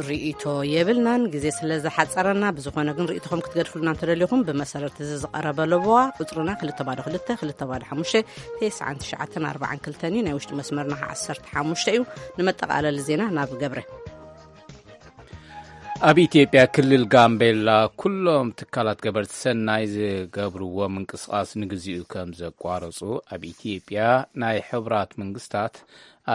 ርእይቶ የብልናን፣ ግዜ ስለ ዝሓጸረና። ብዝኾነ ግን ርእይቶኹም ክትገድፍሉና እንተደሊኹም፣ ብመሰረት እዚ ዝቐረበ ለበዋ፣ ቁጽርና ክልተ ባዶ ክልተ፣ ክልተ ባዶ ሓሙሽተ፣ ተስዓን ትሽዓተን ኣርባዓን ክልተን እዩ። ናይ ውሽጢ መስመርና ዓሰርተ ሓሙሽተ እዩ። ንመጠቓለሊ ዜና ናብ ገብረ። ኣብ ኢትዮጵያ ክልል ጋምቤላ ኩሎም ትካላት ገበርቲ ሰናይ ዝገብርዎ ምንቅስቓስ ንግዚኡ ከም ዘቋረጹ ኣብ ኢትዮጵያ ናይ ሕቡራት መንግስታት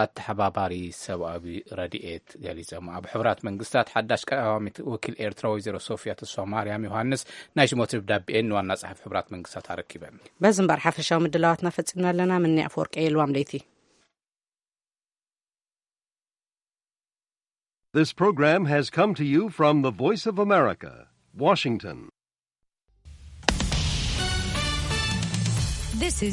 ኣተሓባባሪ ሰብኣዊ ረድኤት ገሊጾም። ኣብ ሕቡራት መንግስታት ሓዳሽ ቀዳማዊት ወኪል ኤርትራ ወይዘሮ ሶፊያ ተስፋ ማርያም ዮሃንስ ናይ ሽሞት ደብዳቤኤን ንዋና ጸሓፊ ሕቡራት መንግስታት ኣረኪበን። በዚ እምበር ሓፈሻዊ ምድላዋትና ፈጺምና ኣለና። ምኒ ኣፈወርቂ የልዋም ለይቲ። This program has come to you from the Voice of America, Washington. This is